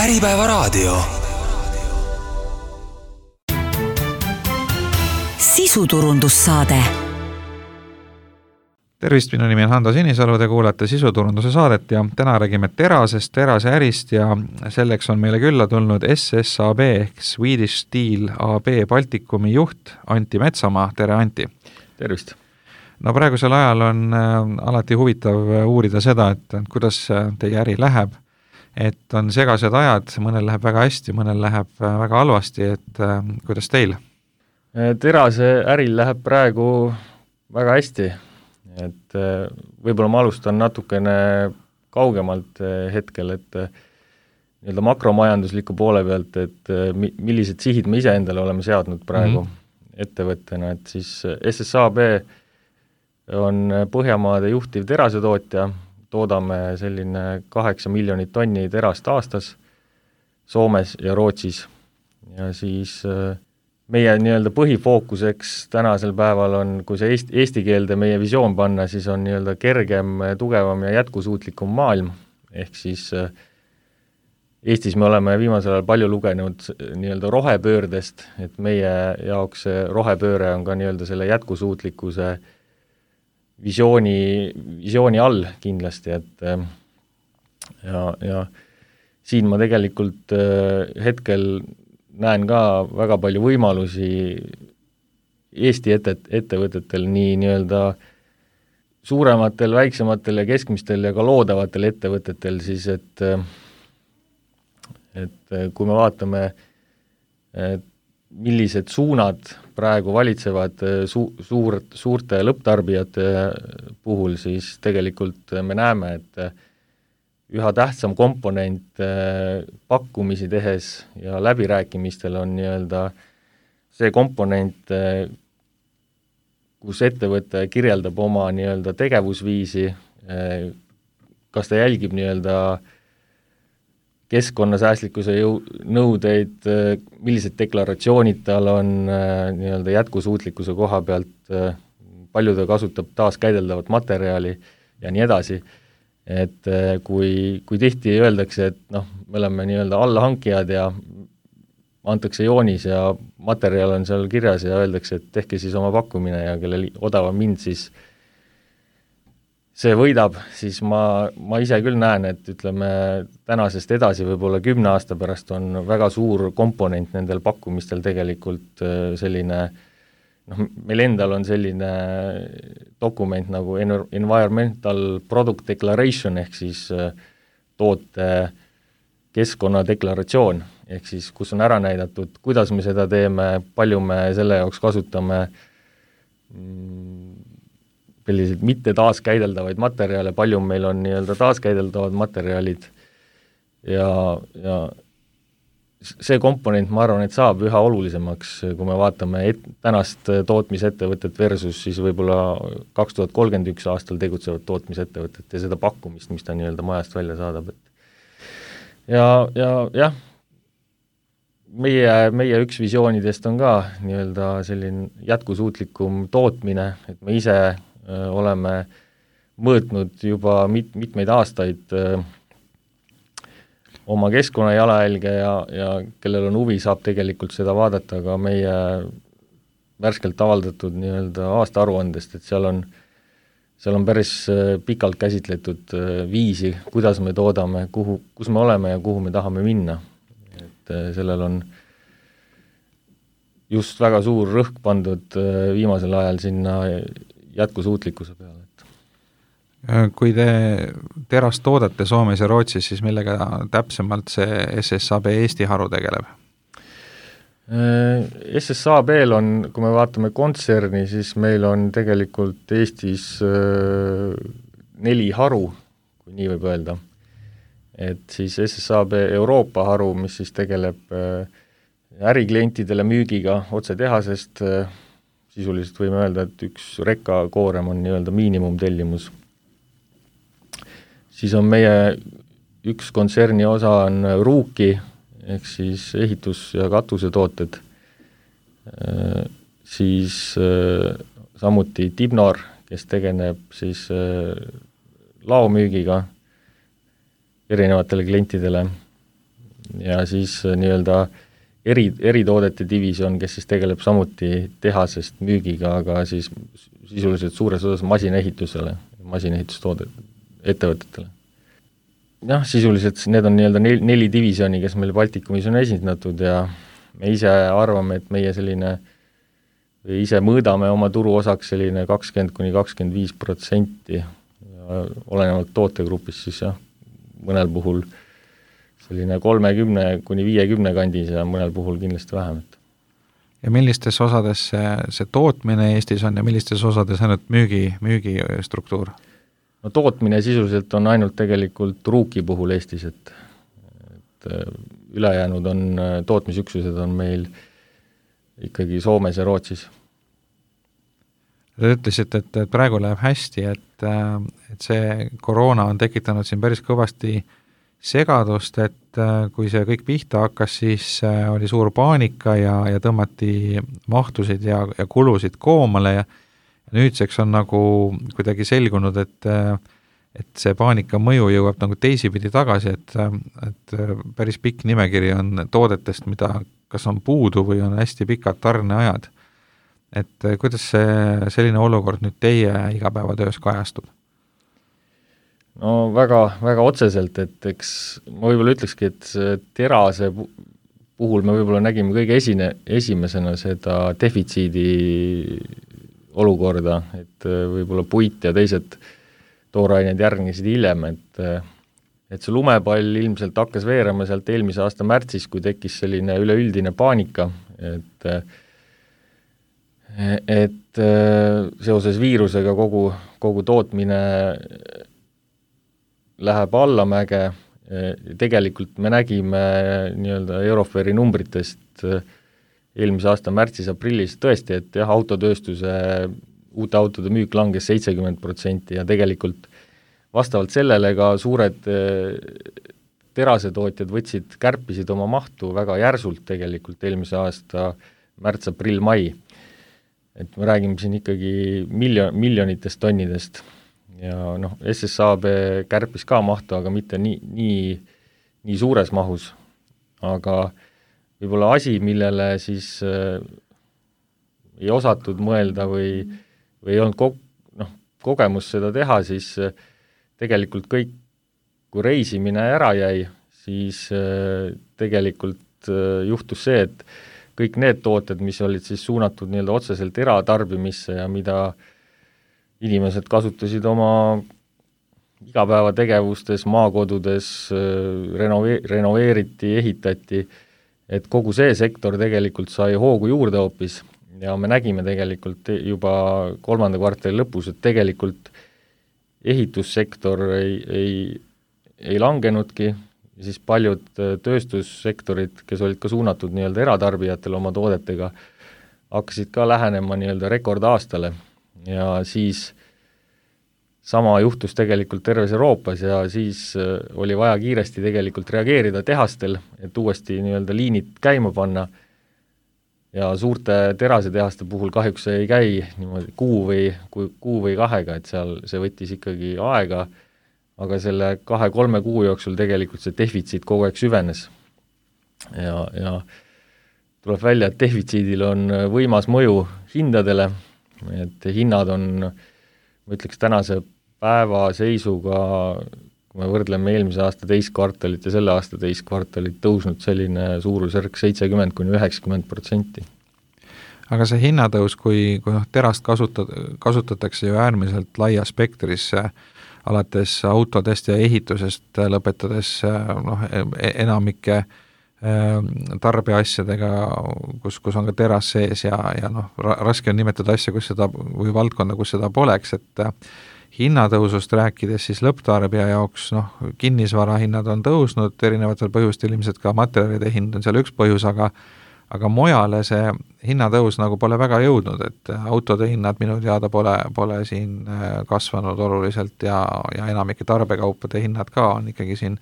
Äripäevaraadio. Sisuturundussaade. Tervist, minu nimi on Hando Sinisalu, te kuulate sisuturunduse saadet ja täna räägime terasest, terase ärist ja selleks on meile külla tulnud SSAB ehk Swedish Steel AB Baltikumi juht Antti Metsamaa. Tere, Antti! Tervist! No praegusel ajal on alati huvitav uurida seda, et kuidas teie äri läheb, et on segased ajad, mõnel läheb väga hästi, mõnel läheb väga halvasti, et kuidas teil? Terase äril läheb praegu väga hästi, et võib-olla ma alustan natukene kaugemalt hetkel, et nii-öelda makromajandusliku poole pealt, et millised sihid me ise endale oleme seadnud praegu ettevõttena, et siis SSAB on Põhjamaade juhtiv terasetootja, toodame selline 8 miljonit tonni terast aastas Soomes ja Rootsis ja siis meie nii-öelda põhifookuseks tänasel päeval on, kui see eesti keelde meie visioon panna, siis on nii-öelda kergem, tugevam ja jätkusuutlikum maailm, ehk siis Eestis me oleme viimasel ajal palju lugenud nii-öelda rohepöördest, et meie jaoks see rohepööre on ka nii-öelda selle jätkusuutlikkuse visiooni all kindlasti, et ja siin ma tegelikult hetkel näen ka väga palju võimalusi Eesti ettevõtetel, nii-öelda suurematel, väiksematel ja keskmistel ja ka loodavatel ettevõtetel siis, et kui me vaatame, millised suunad praegu valitsevad suurte lõpptarbijate puhul, siis tegelikult me näeme, et üha tähtsam komponent pakkumisi tehes ja läbirääkimistel on nii-öelda see komponent, kus ettevõte kirjeldab oma nii-öelda tegevusviisi, kas ta jälgib nii-öelda keskkonnasäästlikkuse nõudeid, millised deklaratsioonid tal on nii-öelda jätkusuutlikkuse koha pealt, palju ta kasutab taaskäideldavat materjali ja nii edasi. Et kui tihti öeldakse, et me oleme nii-öelda allahankijad ja antakse joonis ja materjal on seal kirjas ja öeldakse, et tehke siis oma pakkumine ja kellel odavam mind siis see võidab, siis ma ise küll näen, et ütleme tänasest edasi võib-olla 10 aasta pärast on väga suur komponent nendel pakkumistel tegelikult selline, meil endal on selline dokument nagu Environmental Product Declaration ehk siis toote keskkonnadeklaratsioon, ehk siis kus on ära näidatud, kuidas me seda teeme, palju me selle jaoks kasutame selliseid mitte taaskäideldavaid materjale, palju meil on nii-öelda taaskäideldavad materjalid ja see komponent, ma arvan, et saab üha olulisemaks, kui me vaatame tänast tootmisettevõtet versus siis võib-olla 2031 aastal tegutsevat tootmisettevõtet ja seda pakkumist, mis ta nii-öelda majast välja saadab. Ja meie üks visioonidest on ka nii-öelda selline jätkusuutlikum tootmine, et me ise oleme mõõtnud juba mitmeid aastaid oma keskkonna jalajälge ja kellel on huvi, saab tegelikult seda vaadata ka meie värskelt avaldatud nii-öelda aastaaruandest, et seal on päris pikalt käsitletud viisi, kuidas me toodame, kus me oleme ja kuhu me tahame minna. Et sellel on just väga suur rõhk pandud viimasel ajal sinna jätkusuutlikkuse peale. Kui te terast toodate Soomes ja Rootsis, siis millega täpsemalt see SSAB Eesti haru tegeleb? SSAB-l on, kui me vaatame kontserni, siis meil on tegelikult Eestis 4 haru, kui nii võib öelda. Et siis SSAB Euroopa haru, mis siis tegeleb äriklientidele müügiga otse tehasest, sisuliselt võime öelda, et üks rekkakoorem on nii-öelda miinimumtellimus. Siis on meie üks kontserni osa on Ruuki, ehk siis ehitus- ja katusetooted, siis samuti Tibnor, kes tegeleb siis laomüügiga erinevatele klientidele, ja siis nii-öelda eritoodete divisjon, kes siis tegeleb samuti tehasest müügiga, aga siis sisuliselt suures osas masinaehitusele, masinaehitustoodet ettevõtetele. Jah, sisuliselt need on nii-öelda 4 divisjoni, kes meil Baltikumis on esindatud ja me ise arvame, et meie selline, või ise mõõdame oma turuosaks selline 20–25%, olenevalt tootegrupist siis jah, mõnel puhul selline 30–50 kandis ja mõnel puhul kindlasti vähem. Ja millistes osades see tootmine Eestis on ja millistes osades ainult müügistruktuur? No tootmine sisuliselt on ainult tegelikult Ruuki puhul Eestis, et ülejäänud on, tootmisüksused on meil ikkagi Soomes ja Rootsis. Te ütlesite, et praegu läheb hästi, et see koroona on tekitanud siin päris kõvasti segadust, et kui see kõik pihta hakkas, siis oli suur paanika ja tõmmati mahtusid ja kulusid koomale ja nüüdseks on nagu kuidagi selgunud, et see paanika mõju jõuab nagu teisipidi tagasi, et päris pikk nimekiri on toodetest, mida kas on puudu või on hästi pikad tarneajad. Et kuidas selline olukord nüüd teie igapäevatöös kajastub? No väga, väga otseselt, et eks ma võib-olla ütlekski, et terase puhul me võib-olla nägime kõige esimesena seda defitsiidi olukorda, et võib-olla puit ja teised toorained järgnesid hiljem, et see lumepall ilmselt hakkas veerema sealt eelmise aasta märtsis, kui tekkis selline üleüldine paanika, et seoses viirusega kogu tootmine läheb allamäge, tegelikult me nägime nii-öelda Euroferi numbritest eelmise aasta märtsis-aprillis tõesti, et jah, autotööstuse uute autode müük langes 70% ja tegelikult vastavalt sellele ka suured terasetootjad kärpisid oma mahtu väga järsult tegelikult eelmise aasta märts, aprill, mai. Et me räägime siin ikkagi miljonitest tonnidest ja noh, SSAB kärpis ka mahtu, aga mitte nii suures mahus, aga võib-olla asi, millele siis ei osatud mõelda või ei olnud kogemus seda teha, siis tegelikult kõik, kui reisimine ära jäi, siis tegelikult juhtus see, et kõik need tooted, mis olid siis suunatud nii-öelda otseselt eratarbimisse ja mida inimesed kasutasid oma igapäevategevustes, maakodudes, renoveeriti, ehitati, et kogu see sektor tegelikult sai hoogu juurde hoopis ja me nägime tegelikult juba 3. kvartali lõpus, et tegelikult ehitussektor ei langenudki, ja siis paljud tööstussektorid, kes olid ka suunatud nii-öelda eratarbijatele oma toodetega, hakkasid ka lähenema nii-öelda rekordaastale ja siis sama juhtus tegelikult terves Euroopas ja siis oli vaja kiiresti tegelikult reageerida tehastel, et uuesti nii-öelda liinid käima panna ja suurte terasetehaste puhul kahjuks ei käi niimoodi kuu või kahega, et seal see võttis ikkagi aega, aga selle 2-3 kuu jooksul tegelikult see defitsiit kogu aeg süvenes. Ja tuleb välja, et defitsiidil on võimas mõju hindadele, et hinnad on, ma ütleks tänase päeva seisuga, kui me võrdleme eelmise aasta teist kvartalit ja selle aasta teist kvartalit, tõusnud selline suurusjärk 70–90%. Aga see hinnatõus, kui terast kasutatakse ju äärmiselt laia spektrisse, alates autodest ja ehitusest lõpetades enamike tarbeasjadega, kus on ka teras sees ja raske on nimetada asja, kus seda, või valdkonda, kus seda poleks, et hinnatõusust rääkides siis lõpptarbija jaoks, kinnisvara hinnad on tõusnud, erinevatel põhjustel ilmselt ka materjalide hind on seal üks põhjus, aga mujale see hinnatõus nagu pole väga jõudnud, et autode hinnad minu teada pole siin kasvanud oluliselt ja enamike tarbekaupade hinnad ka on ikkagi siin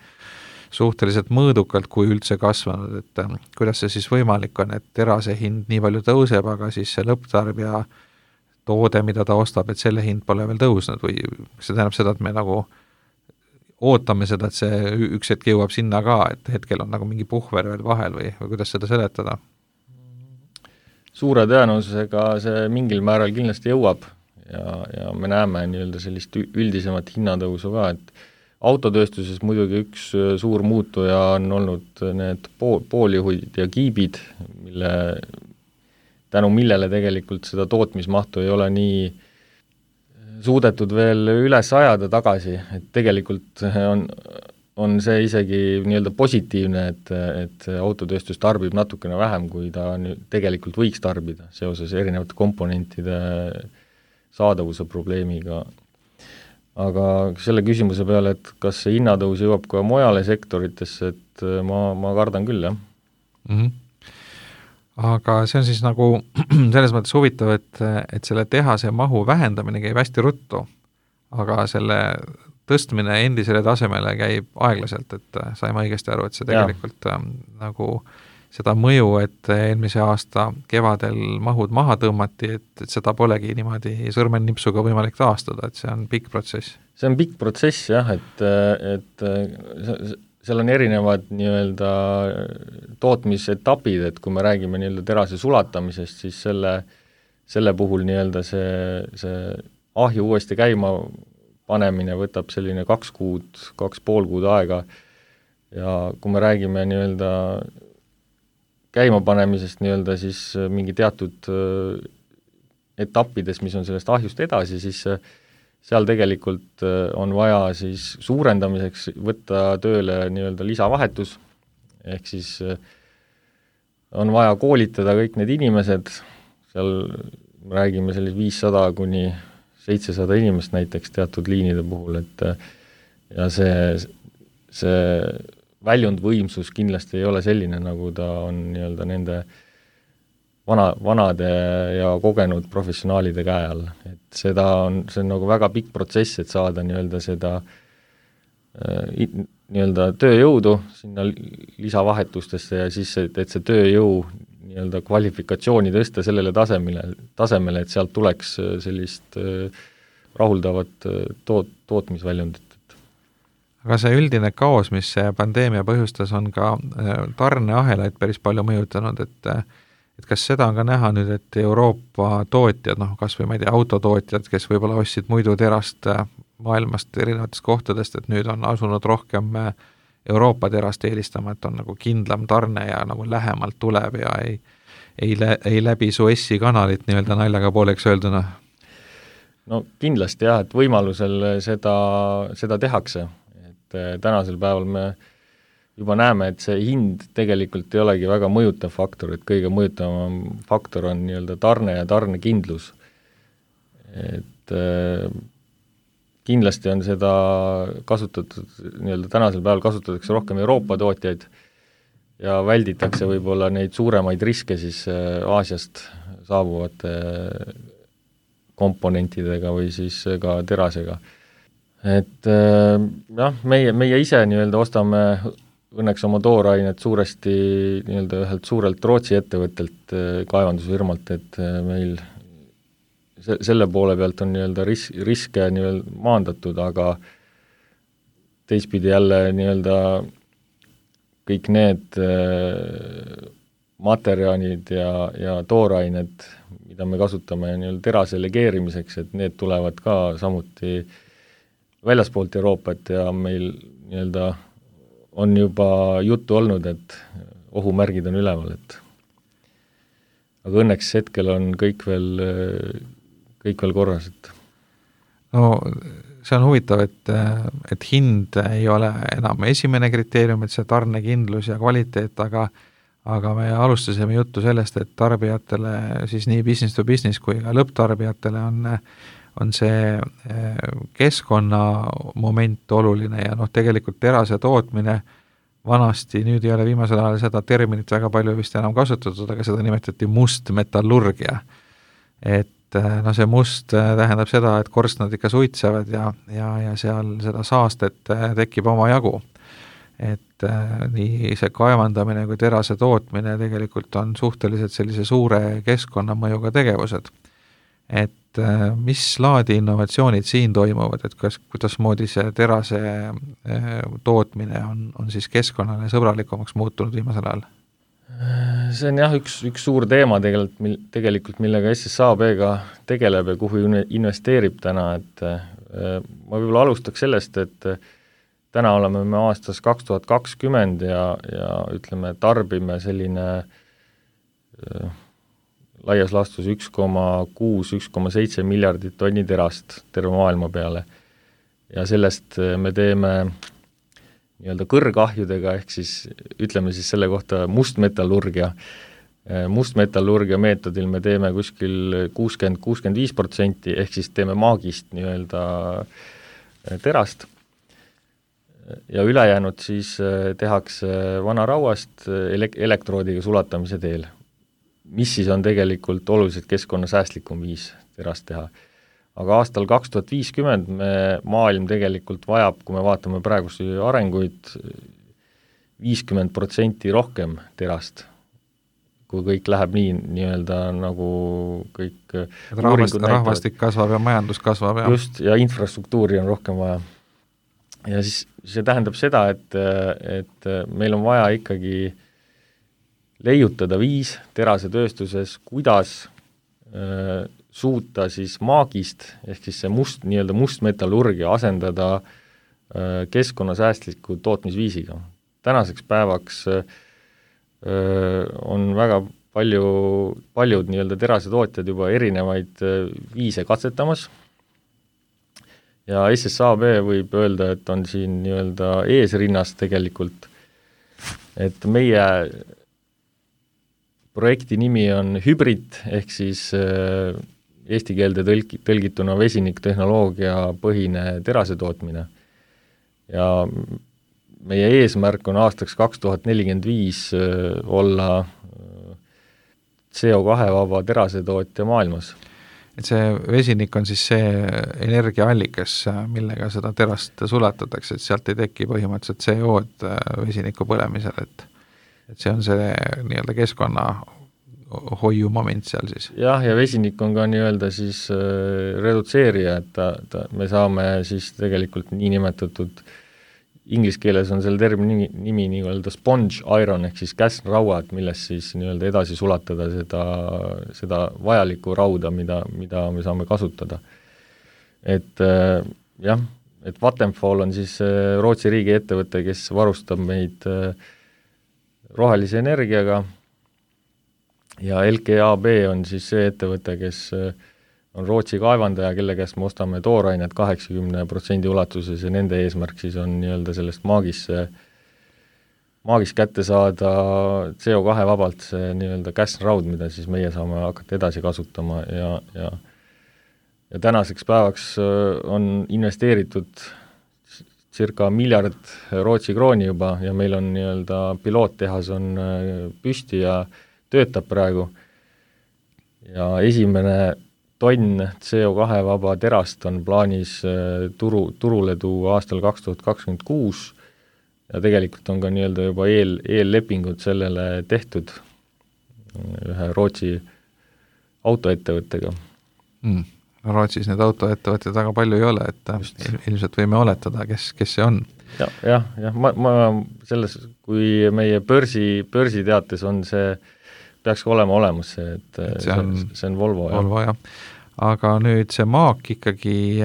suhteliselt mõõdukalt, kui üldse kasvanud, et kuidas see siis võimalik on, et terase hind nii palju tõuseb, aga siis see lõpptarbija toode, mida ta ostab, et selle hind pole veel tõusnud või see tähendab seda, et me nagu ootame seda, et see üks hetk jõuab sinna ka, et hetkel on nagu mingi puhver veel vahel või kuidas seda seletada? Suure tõenäosusega see mingil määral kindlasti jõuab ja me näeme nii-öelda sellist üldisemat hinnatõusu ka, et autotööstuses muidugi üks suur muutuja on olnud need pooljuhid ja kiibid, tänu millele tegelikult seda tootmismahtu ei ole nii suudetud veel üles ajada tagasi, et tegelikult on see isegi nii-öelda positiivne, et autotööstus tarbib natukene vähem, kui ta tegelikult võiks tarbida seoses erinevate komponentide saadavuse probleemiga. Aga selle küsimuse peale, et kas see hinnatõus jõuab ka mujale sektoritesse, et ma kardan küll, jah. Mm-hmm. Aga see on siis nagu selles mõttes huvitav, et selle tehase mahu vähendamine käib hästi ruttu, aga selle tõstmine endisele tasemele käib aeglaselt, et saime õigesti aru, et see tegelikult nagu seda mõju, et eelmise aasta kevadel mahud maha tõmmati, et seda polegi niimoodi sõrmennipsuga võimalik taastada, et see on pikk protsess. See on pikk protsess, jah, et seal on erinevad nii-öelda tootmisetapid, et kui me räägime nii-öelda terase sulatamisest, siis selle puhul nii-öelda see ahju uuesti käima panemine võtab selline 2,5 kuud aega ja kui me räägime nii-öelda käimapanemisest nii-öelda siis mingi teatud etappides, mis on sellest ahjust edasi, siis seal tegelikult on vaja siis suurendamiseks võtta tööle nii-öelda lisavahetus, ehk siis on vaja koolitada kõik need inimesed, seal me räägime sellist 500 kuni 700 inimest näiteks teatud liinide puhul, et ja see väljundvõimsus kindlasti ei ole selline, nagu ta on nii-öelda nende vanade ja kogenud professionaalide käe all, et see on nagu väga pikk protsess, et saada nii-öelda seda nii-öelda tööjõudu sinna lisavahetustesse ja siis, et see tööjõu nii-öelda kvalifikatsiooni tõsta sellele tasemele, et sealt tuleks sellist rahuldavat tootmisväljundit. Aga see üldine kaos, mis see pandeemia põhjustas, on ka tarneahelaid päris palju mõjutanud, et kas seda on ka näha nüüd, et Euroopa tootjad, kas või ma ei tea, autotootjad, kes võib-olla ostsid muidu terast maailmast erinevatest kohtadest, et nüüd on asunud rohkem Euroopa terast eelistama, et on nagu kindlam tarne ja nagu lähemalt tuleb ja ei läbi Suessi kanalit nii-öelda naljaga pooleks öelduna? No kindlasti jah, et võimalusel seda tehakse, et tänasel päeval me juba näeme, et see hind tegelikult ei olegi väga mõjutav faktor, et kõige mõjutavam faktor on nii-öelda tarne ja tarnekindlus. Et kindlasti on seda kasutatud, nii-öelda tänasel päeval kasutatakse rohkem Euroopa tootjaid ja välditakse võib-olla neid suuremaid riske siis Aasiast saabuvate komponentidega või siis ka terasega. Et jah, meie ise nii-öelda ostame õnneks oma toorainet suuresti nii-öelda ühelt suurelt Rootsi ettevõttelt, kaevandusfirmalt, et meil selle poole pealt on nii-öelda riske nii-öelda maandatud, aga teistpidi jälle nii-öelda kõik need materjalid ja toorained, mida me kasutame nii-öelda terase legeerimiseks, et need tulevad ka samuti väljaspoolt Euroopat ja meil nii-öelda on juba juttu olnud, et ohumärgid on üleval, et aga õnneks hetkel on kõik veel korras, et no see on huvitav, et hind ei ole enam esimene kriteerium, et see tarnekindlus ja kvaliteet, aga me alustasime juttu sellest, et tarbijatele siis nii business to business kui ka lõpptarbijatele on see keskkonnamoment oluline ja tegelikult terase tootmine vanasti, nüüd ei ole viimasel ajal seda terminit väga palju vist enam kasutatud, aga seda nimetati mustmetallurgia. Et see must tähendab seda, et korstnad ikka suitsevad ja seal seda saastet tekib oma jagu. Et nii see kaevandamine kui terase tootmine tegelikult on suhteliselt sellise suure keskkonnamõjuga tegevused. et mis laadi innovatsioonid siin toimuvad, et kuidasmoodi see terase tootmine on siis keskkonnale sõbralikumaks muutunud viimasel ajal? See on jah, üks suur teema tegelikult, millega SSAB-ga tegeleb ja kuhu investeerib täna, et ma võib-olla alustaks sellest, et täna oleme me aastas 2020 ja ütleme, tarbime selline laias laastus 1,6–1,7 miljardit tonni terast terve maailma peale. Ja sellest me teeme nii-öelda kõrgahjudega, ehk siis ütleme siis selle kohta mustmetallurgia. Mustmetallurgia meetodil me teeme kuskil 60–65%, ehk siis teeme maagist nii-öelda terast. Ja ülejäänud siis tehakse vanarauast elektroodiga sulatamise teel, mis siis on tegelikult oluliselt keskkonnasäästlikum viis terast teha. Aga aastal 2050 maailm tegelikult vajab, kui me vaatame praegusi arenguid, 50% rohkem terast, kui kõik läheb nii-öelda nagu kõik rahvastik kasvab ja majandus kasvab. Just, ja infrastruktuuri on rohkem vaja. Ja siis see tähendab seda, et meil on vaja ikkagi leiutada viis terasetööstuses, kuidas suuta siis maagist, ehk siis see nii-öelda mustmetallurgia asendada keskkonnasäästliku tootmisviisiga. Tänaseks päevaks on väga paljud nii-öelda terasetootjad juba erinevaid viise katsetamas ja SSAB võib öelda, et on siin nii-öelda eesrinnas tegelikult, et meie projekti nimi on hübrid, ehk siis eesti keelde tõlgituna vesiniktehnoloogia põhine terasetootmine. Ja meie eesmärk on aastaks 2045 olla CO2-vaba terasetootja maailmas. Et see vesinik on siis see energiaallikas, millega seda terast sulatatakse, et sealt ei teki põhimõtteliselt CO-d vesiniku põlemisel, et see on see nii-öelda keskkonna hoiu moment seal siis. Jah, ja vesinik on ka nii-öelda siis redutseerija, et me saame siis tegelikult niinimetatud, inglise keeles on selle termini nimi nii-öelda sponge iron, ehk siis käsrauad, milles siis nii-öelda edasi sulatada seda vajalikku rauda, mida me saame kasutada. Et jah, et Vattenfall on siis Rootsi riigi ettevõte, kes varustab meid rohelise energiaga ja LKAB on siis see ettevõte, kes on Rootsi kaevandaja, kelle käest me ostame toorainet 80% ulatuses ja nende eesmärk siis on nii-öelda sellest maagist kätte saada CO2 vabalt see nii-öelda käsraud, mida siis meie saame hakata edasi kasutama ja tänaseks päevaks on investeeritud circa 1 miljard Rootsi krooni juba ja meil on nii-öelda piloottehas on püsti ja töötab praegu ja esimene tonn CO2 vaba terast on plaanis turule tuua aastal 2026 ja tegelikult on ka nii-öelda juba eellepingud sellele tehtud ühe Rootsi autoettevõttega. Rootsis need autoettevõtted väga palju ei ole, et ilmselt võime oletada, kes see on. Jah, ma selles, kui meie börsiteates on see, peaks ka olema olemas see, et see on Volvo. Volvo, jah. Aga nüüd see maak ikkagi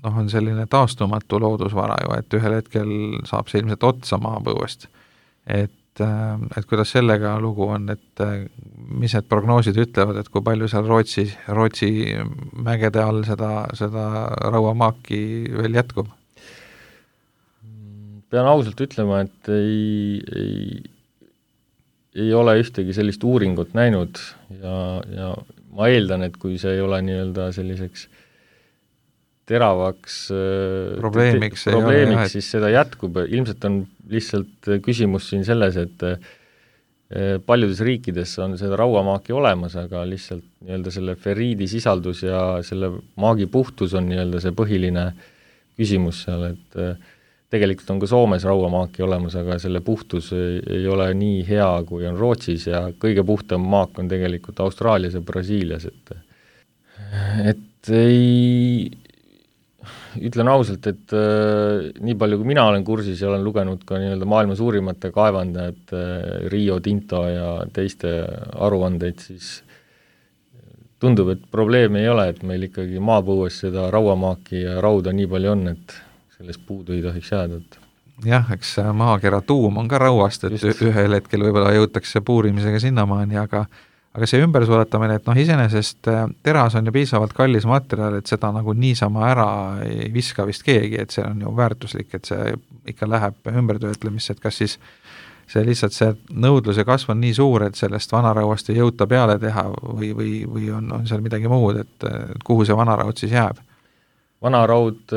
on selline taastumatu loodusvara ju, et ühel hetkel saab see ilmselt otsa maapõuest. Et kuidas sellega lugu on, et mis need prognoosid ütlevad, et kui palju seal Rootsi mägede all seda rauamaaki veel jätkub? Pean ausalt ütlema, et ei ole ühtegi sellist uuringut näinud ja ma eeldan, et kui see ei ole nii-öelda selliseks teravaks probleemiks, siis seda jätkub. Ilmselt on lihtsalt küsimus siin selles, et paljudes riikides on seda rauamaaki olemas, aga lihtsalt nii-öelda selle feriidi sisaldus ja selle maagi puhtus on nii-öelda see põhiline küsimus seal, et tegelikult on ka Soomes rauamaaki olemas, aga selle puhtus ei ole nii hea, kui on Rootsis ja kõige puhtam maak on tegelikult Austraalias ja Brasiilias, et ei, ütlen ausalt, et nii palju kui mina olen kursis ja olen lugenud ka nii-öelda maailma suurimate kaevandajate Rio Tinto ja teiste aruandeid, siis tundub, et probleemi ei ole, et meil ikkagi maapõues seda rauamaaki ja rauda nii palju on, et sellest puudu ei tohiks jääda. Jah, eks maakera tuum on ka rauast, et just ühel hetkel võib-olla jõutakse puurimisega sinnamaani, aga see ümbersuletamine, et iseenesest teras on ju piisavalt kallis materjal, et seda nagu niisama ära ei viska vist keegi, et see on ju väärtuslik, et see ikka läheb ümbertöötlemisse, et kas siis see lihtsalt see nõudluse kasv on nii suur, et sellest vanarauast ei jõuta peale teha või on seal midagi muud, et kuhu see vanaraud siis jääb? Vanaraud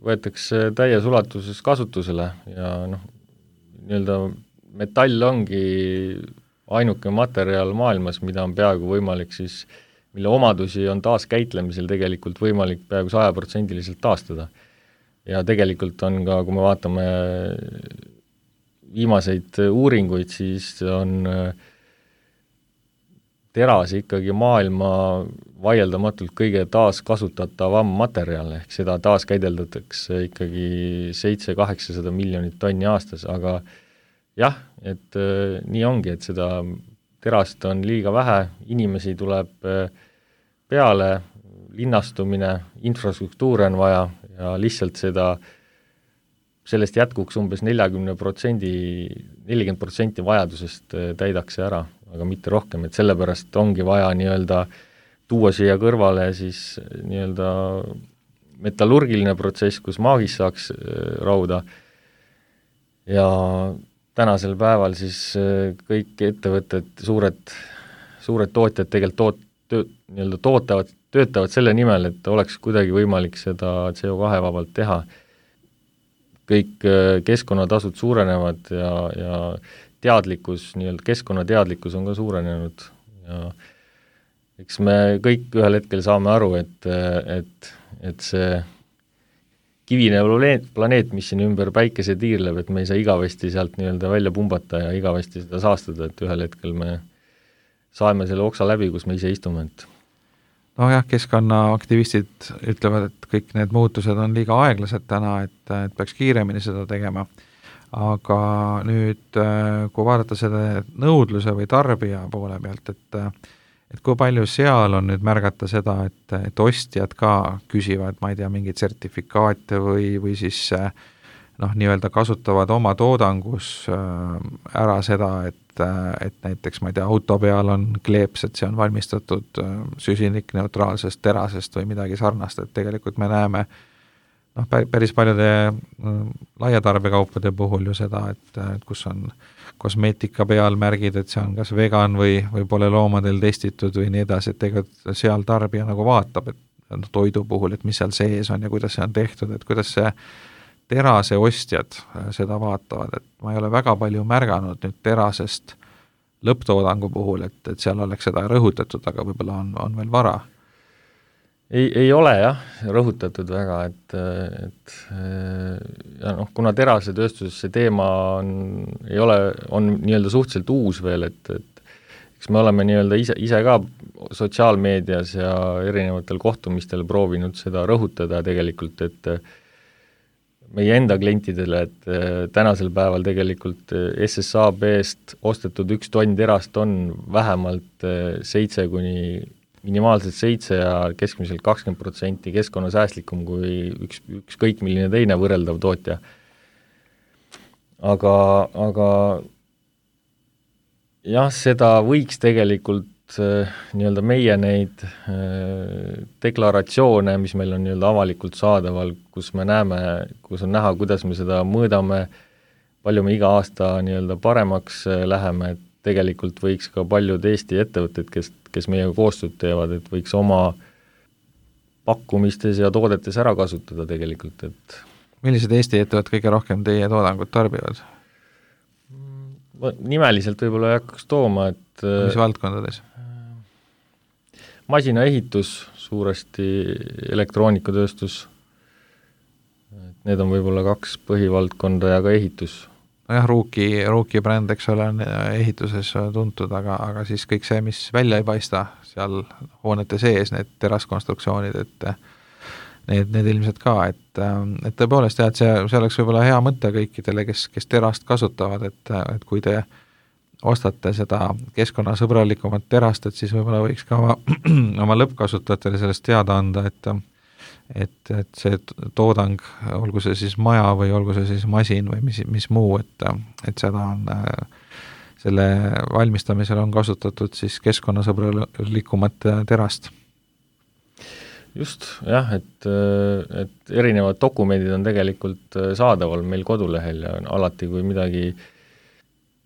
võetakse täies ulatuses kasutusele ja nii-öelda metall ongi ainuke materjal maailmas, mida on peaaegu võimalik siis, mille omadusi on taaskäitlemisel tegelikult võimalik peaaegu 100% taastada. Ja tegelikult on ka, kui me vaatame viimaseid uuringuid, siis on teras ikkagi maailma vaieldamatult kõige taaskasutatavam materjal, ehk seda taaskäideldatakse ikkagi 700-800 miljonit tonni aastas, aga jah, et nii ongi, et seda terast on liiga vähe, inimesi tuleb peale, linnastumine, infrastruktuure on vaja ja lihtsalt sellest jätkuks umbes 40% vajadusest täidaks see ära, aga mitte rohkem, et sellepärast ongi vaja nii-öelda tuua siia kõrvale siis nii-öelda metallurgiline protsess, kus maagis saaks rauda ja tänasel päeval siis kõik ettevõtted, suured tootjad tegelikult töötavad selle nimel, et oleks kuidagi võimalik seda CO2 vabalt teha. Kõik keskkonnatasud suurenevad ja teadlikkus, nii-öelda keskkonnateadlikkus on ka suurenenud ja eks me kõik ühel hetkel saame aru, et see kivine planeet, mis siin ümber päikese tiirleb, et me ei saa igavesti sealt nii-öelda välja pumbata ja igavesti seda saastada, et ühel hetkel me saame selle oksa läbi, kus me ise istume. Nojah, keskkonnaaktivistid ütlevad, et kõik need muutused on liiga aeglased täna, et peaks kiiremini seda tegema. Aga nüüd, kui vaadata selle nõudluse või tarbija poole pealt, et kui palju seal on nüüd märgata seda, et ostjad ka küsivad, ma ei tea, mingeid sertifikaate või siis nii-öelda kasutavad oma toodangus ära seda, et näiteks, ma ei tea, auto peal on kleeps, et see on valmistatud süsinikneutraalsest terasest või midagi sarnast, et tegelikult me näeme päris paljude laiatarbekaupade puhul ju seda, et kus on kosmeetika peal märgid, et see on kas vegan või pole loomadel testitud või nii edasi, et tegelikult seal tarbija nagu vaatab, et toidu puhul, et mis seal sees on ja kuidas see on tehtud, et kuidas see terase ostjad seda vaatavad, et ma ei ole väga palju märganud nüüd terasest lõpptoodangu puhul, et seal oleks seda rõhutatud, aga võib-olla on veel vara. Ei ole jah, rõhutatud väga, et ja kuna terasetööstuses see teema on nii-öelda suhteliselt uus veel, et eks me oleme nii-öelda ise ka sotsiaalmeedias ja erinevatel kohtumistel proovinud seda rõhutada tegelikult, et meie enda klientidele, et tänasel päeval tegelikult SSAB-st ostetud 1 tonn terast on vähemalt 7 kuni minimaalselt 7 ja keskmiselt 20% keskkonnasäästlikum kui ükskõik milline teine võrreldav tootja. Aga jah, seda võiks tegelikult nii-öelda meie neid deklaratsioone, mis meil on nii-öelda avalikult saadaval, kus me näeme, kus on näha, kuidas me seda mõõdame, palju me iga aasta nii-öelda paremaks läheme, et tegelikult võiks ka paljud Eesti ettevõtted, kes meiega koostööd teevad, et võiks oma pakkumistes ja toodetes ära kasutada tegelikult, et millised Eesti ettevõtted kõige rohkem teie toodangut tarbivad? Nimeliselt võib-olla ei hakkaks tooma, et mis valdkondades? Masinaehitus, suuresti elektroonikatööstus, need on võib-olla 2 põhivaldkonda ja ka ehitus. nojah, Ruuki bränd, eks ole, on ehituses tuntud, aga siis kõik see, mis välja ei paista seal hoonete sees, need teraskonstruktsioonid, et need ilmselt ka, et tõepoolest jah, et see oleks võib-olla hea mõte kõikidele, kes terast kasutavad, et kui te ostate seda keskkonnasõbralikumat terast, et siis võib-olla võiks ka oma lõppkasutajatele sellest teada anda, et see toodang, olgu see siis maja või olgu see siis masin või mis muu, et seda on, selle valmistamisel on kasutatud siis keskkonnasõbralikumat terast. Just, jah, et erinevad dokumendid on tegelikult saadaval meil kodulehel ja alati, kui midagi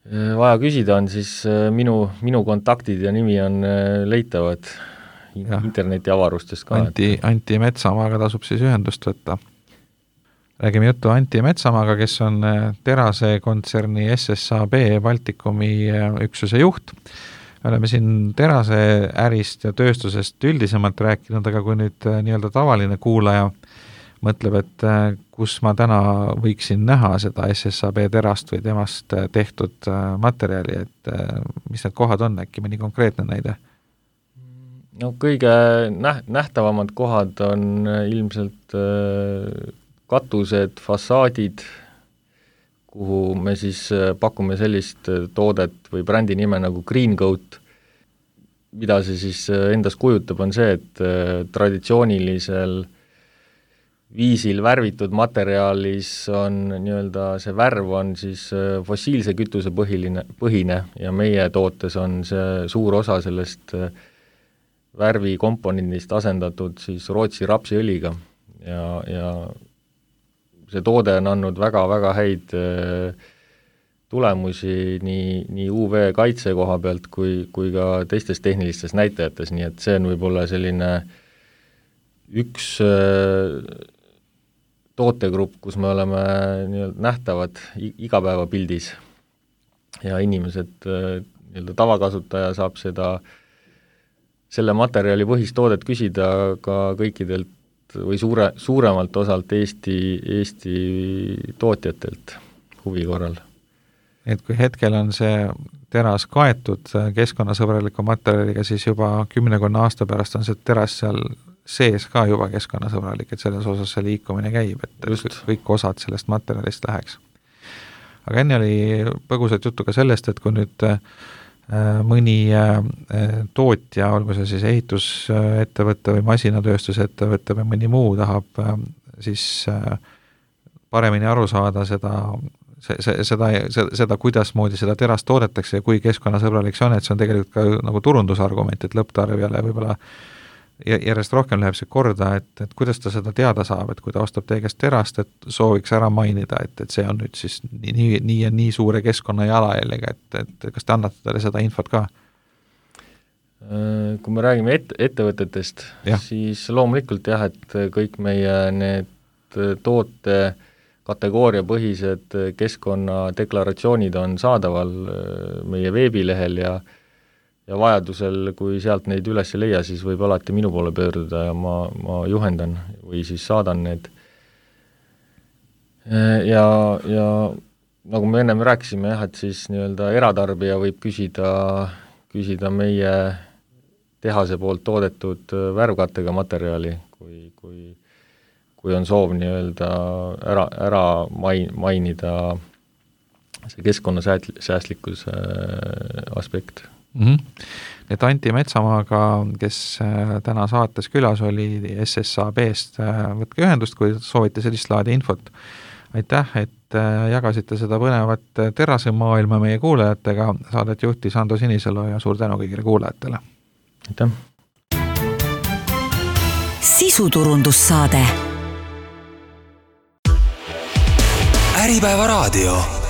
vaja küsida on, siis minu kontaktid ja nimi on leitavad internetiavarustest ka. Anti Metsamaaga tasub siis ühendust võtta. Räägime juttu Anti Metsamaaga, kes on terase kontserni SSAB Baltikumi üksuse juht. Me oleme siin terase ärist ja tööstusest üldisemalt rääkinud, aga kui nüüd nii-öelda tavaline kuulaja mõtleb, et kus ma täna võiksin näha seda SSAB terast või temast tehtud materjali, et mis need kohad on, äkki mõni konkreetne näide? No kõige nähtavamad kohad on ilmselt katused, fassaadid, kuhu me siis pakume sellist toodet või brändi nime nagu Green Coat. Mida see siis endas kujutab, on see, et traditsioonilisel viisil värvitud materjalis on nii-öelda see värv on siis fossiilse kütuse põhine ja meie tootes on see suur osa sellest värvikomponendist asendatud siis Rootsi rapsiõliga ja see toode on andnud väga-väga häid tulemusi nii UV kaitse koha pealt kui ka teistes tehnilistes näitajates, nii et see on võib-olla selline üks tootegrupp, kus me oleme nii-öelda nähtavad igapäevapildis ja inimesed, nii-öelda tavakasutaja saab selle materjali põhist toodet küsida ka kõikidelt või suuremalt osalt Eesti tootjatelt huvi korral. Et kui hetkel on see teras kaetud keskkonnasõbraliku materjaliga, siis juba 10 aasta pärast on see teras seal sees ka juba keskkonnasõbralik, et selles osas see liikumine käib, et just kõik osad sellest materjalist läheks. Aga enne oli põgusalt juttu ka sellest, et kui nüüd mõni tootja, olgu see siis ehitusettevõtte või masinatööstusettevõtte või mõni muu tahab siis paremini aru saada seda, kuidas moodi seda terast toodetakse ja kui keskkonnasõbralik see on, et see on tegelikult ka nagu turundusargument, et lõpptarbijale võib-olla järjest rohkem läheb see korda, et kuidas ta seda teada saab, et kui ta ostab teie käest terast, et sooviks ära mainida, et see on nüüd siis nii ja nii suure keskkonna jalajäljega, et kas te annate talle seda infot ka? Kui me räägime ettevõtetest, siis loomulikult jah, et kõik meie need toote kategooriapõhised keskkonnadeklaratsioonid on saadaval meie veebilehel ja vajadusel, kui sealt neid üles ei leia, siis võib alati minu poole pöörduda ja ma juhendan või siis saadan need. Ja nagu me ennem rääkisime, et siis nii-öelda eratarbija võib küsida meie tehase poolt toodetud värvkattega materjali, kui on soov nii-öelda ära mainida see keskkonnasäästlikkuse aspekt. Et Anti Metsamaaga, kes täna saates külas oli SSAB-st, võtke ühendust, kui soovite sellist laadi infot. Aitäh, et jagasite seda põnevat terasemaailma meie kuulajatega. Saadet juhtis Ando Sinisalu ja suur tänu kõigile kuulajatele. Aitäh! Sisuturundussaade. Äripäeva raadio.